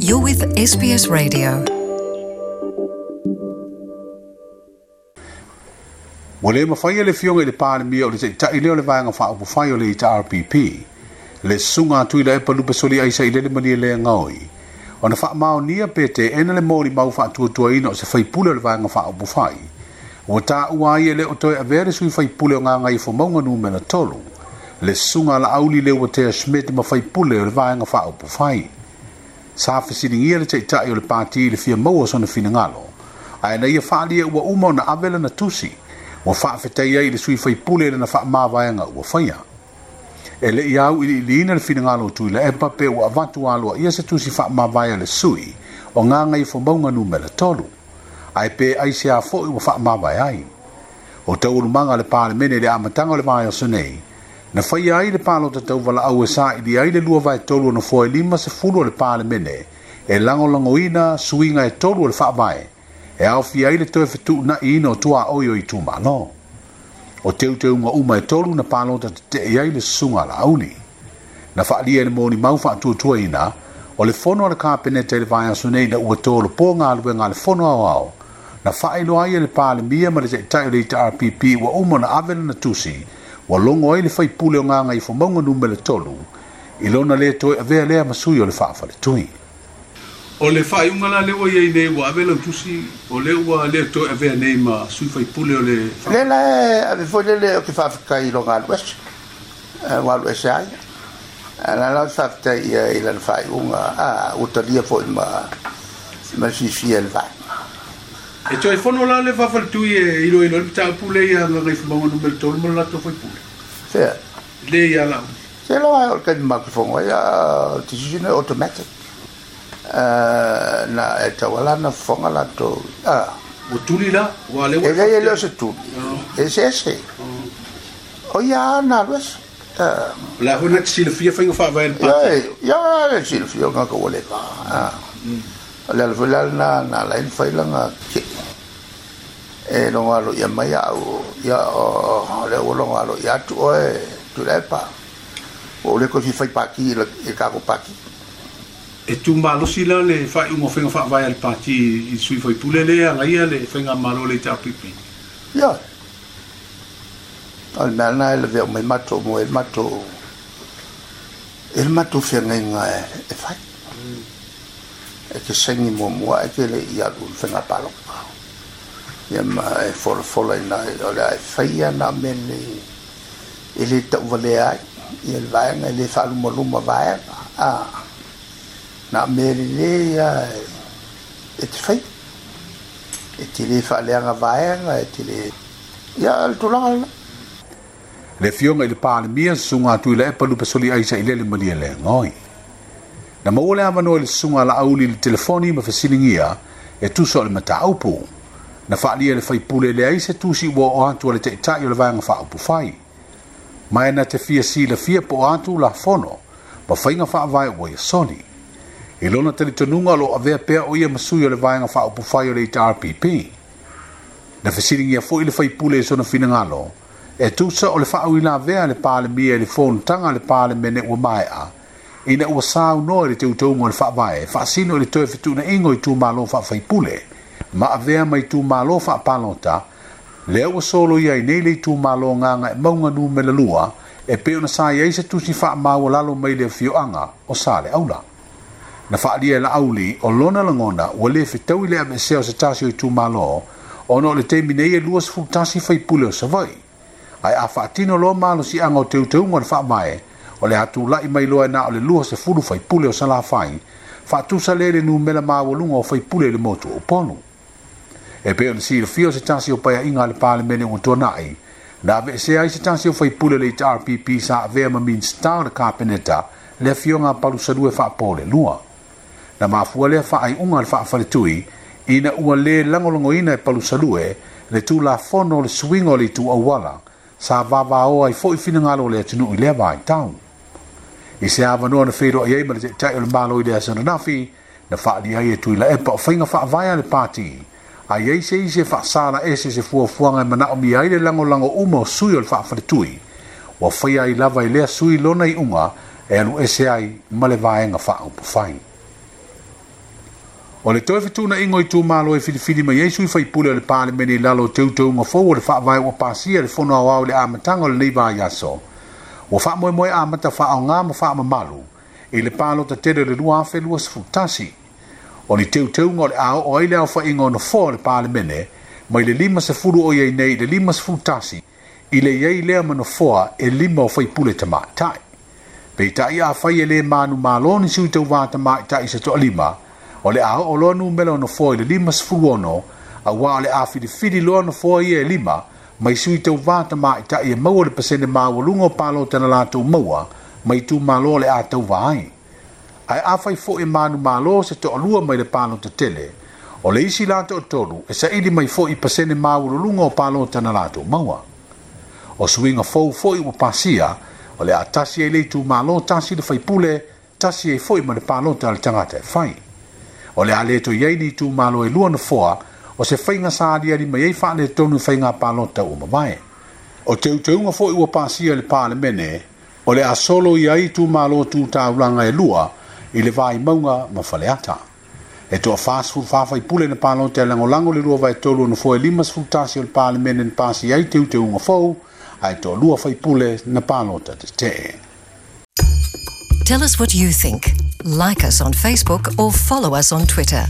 You're with SBS Radio. Ua le mafai e le Afioga i le Palemia o le Taitai lea o le Vaega Faaupufai o le HRPP, le Susuga a Tuilaepa Lupesoli Aisa Ilele Malielegaoi, ona faamaonia pe teena le molimau faatuatuaina o se faipule o le Vaega Faaupufai, ua taua ai e le o toe avea le sui faipule o Gagaifomauga Numera 3, le Susuga a Laauli Leuatea Schmidt ma faipule o le Vaega Faaupufai. Sa fesiligia le Taitai o le Pati i le fia maua o sona finagalo, ae na ia faaalia ua uma ona ave lana tusi, ua faafetai ai i le sui faipule i lana faamavaega ua faia. E le i auiliiliina le finagalo o Tuilaepa pe ua avatu aloaia se tusi faamavae a le sui o Gagaifomauga Numera 3, ae pe aisea foi ua faamavae ai. O taualumaga a le Palemene i le amataga o le vaiaso nei, na faia ai le palota tauvalaau e saili ai le 2/3 o nofoa e 50 o le Palemene e lagolagoina suiga e 3 o le faavae e aofia ai le toe fetuunaiina o tuaoi o itumalo. O teuteuga uma e 3 na palota tetee ai le susuga a Laauli. Na faaalia e le molimau faatuatuaina o le fono a le Kapeneta i le vaiaso nei ina ua tolopo galuega a le fono aoao, na faailoa ai e le Palemia ma le Taitai o le HRPP ua uma ona ave lana tusi ua logo ai le faipule o Gagaifomauga Numera 3 i lona le toe avea lea ma sui o le faafaletui. O le faaiuga la lea ua i ai nei ua ave lau tusi o lea ua le toe avea nei ma sui faipule o le Lea la e ave foi lele o te faafetai i lona alu ese, ua alu ese ai. La la o te faafetai ia i lana faaiuga, ua talia foi ma le fiafia e le vaega. E toe fono la le faafaletui e iloilo ai le mataupu lea ia Gagaifomauga Numera 3 ma le latou faipule. Fea? Le ia Laauli. Se loa o le taimi matou te fono ai, o le decision e automatic. Na e tauala na fofoga latou. Ua tuli la? Ua le ua E leai e le o se tuli. E eseese. O ia na alu ese. O le a foi na te silafia faiga faavae a le pati? Ia, le silafia o ngaka ua leva. O le ala foi la lena na ala ai na fai lana kei. E logo alo ia mai au, ia o lea ua logo alo ia atu oe Tuilaepa. Ua ou le toe fia fai pati i le tatou pati. E tumalosi la le faaiuga o faiga faavae a le pati i le sui faipule lea e agaia le faigamalo o le HRPP. Ia. O le mea lena e lavea uma ai matou mo e matou e le matou feagaiga e fai. E te saini muamua e te le i alu i le faiga palota. Ia ma e folafola ina o le a e faia na mea nei e le tauvalea ai ia le vaega e le faalumaluma vaega. Na mea lelei ia e te fai. E te le faaleaga vaega, e te le... Ia, le tulaga lena. Le Afioga i le Palemia, Susuga a Tuilaepa Lupesoli Aisa Ilele Malielegaoi. Na maua le avanoa i le Susuga a Laauli i le telefoni ma fesiligia e tusa o le mataupu. Na faaalia e le faipule leai se tusi ua oo atu a le Taitai o le Vaega Faaupufai. Ma e na te fia silafia po o a tulafono ma faiga faavae ua ia soli. I lona talitonuga o lo o avea pea o ia ma sui o le Vaega Faaupufai o le HRPP. Na fesiligia foi le faipule i sona finagalo e tusa o le faauilavea a le Palemia i le fonotaga a le Palemene ua maea, ina ua saunoa i le teuteuga o le faavae faasino i le toe fetuunaiga o itumalo faafaipule ma avea ma itumalo faapalota, lea ua soloia ai nei le itumalo Gagaemauga Numera 2 e pei ona sa i ai se tusi faamaualalo mai le afioaga o Saleaula. Na faaalia e Laauli o lona lagona ua le fetaui le aveesea o se tasi o itumalo ona o le taimi nei e 21 faipule o Savaii. Ae a faatino loa malosiaga o teuteuga o le faavae, o le a tulai mai loa e na o le 20 faipule o Salafai, faatusa lea i le numera maualuga o faipule i le motu o Upolu. E pei ona silafia o se tasi o paeaiga a le Palemene ua tuanai, na aveesea ai se tasi o faipule o le HRPP sa avea ma Minisita o le Kapeneta, le Afioga a Palusalue Faapolelua. Na mafua lea faaiuga a le faafaletui ina ua le lagolagoina e Palusalue le tulafono o le suiga o le itu auala sa vavaoa ai foi finagalo o le atunuu i lea vaitau. I se avanoa na feiloai ai ma le Taitai o le Malo i le aso ananafi, na faaalia ai e Tuilaepa o faiga faavae a le pati, a i ai se isi e faasala ese se fuafuaga e manaomia ai le lagolago uma o sui o le faafaletui, ua faia ai lava e lea sui lona iuga e alu ese ai ma le Vaega Faaupufai. O le toe fetuunaiga o itumalo e filifili mai ai sui faipule o le Palemene i lalo o teuteuga fou o le Faavae ua pasia e le Fono Aoao i le amataga o lenei vaiaso, ua faamoemoe amata faaaoga ma faamamalu i le palota tele o le 2021. O ni teuteuga o le a oo ai le aofaiga o nofoa o le Palemene mai le 50 o i ai nei i le 51 i le i ai lea ma nofoa e 5 o faipule tamaitai. Peitai afai e le manumalo ni sui tauva tamaitai se toalima, o le a oo loa numera o nofoa i le 56, auā o le a filifili loa nofoa ia e 5 mai sui tauva tamaitai e maua le pasene maualuga o palota na latou maua mai itumalo o le a tauva ai. Ae afai foi e manumalo se toalua mai le palota tele, o le isi la toatolu e saili mai foi i pasene maualuluga o palota na latou maua. O suiga fou foi ua pasia, o le a tasi ai le itumalo tasi le faipule, tasi ai foi ma le palota a le tagata e fai. O le a le toe i ai ni itumalo e lua nofoa, o se faiga sa aliali mai ai faaletonu i faiga palota ua mavae. O teuteuga foi ua pasia e le Palemene, o le a solo ia ai itumalo tu taulaga e lua i le Vaimauga ma Faleata. E toa 44 faipule na palota e lagolago le 2/3 o nofoa e 51 o le Palemene na pasia ai teuteuga fou, ae toalua faipule na palota tetee. Tell us what you think. Like us on Facebook or follow us on Twitter.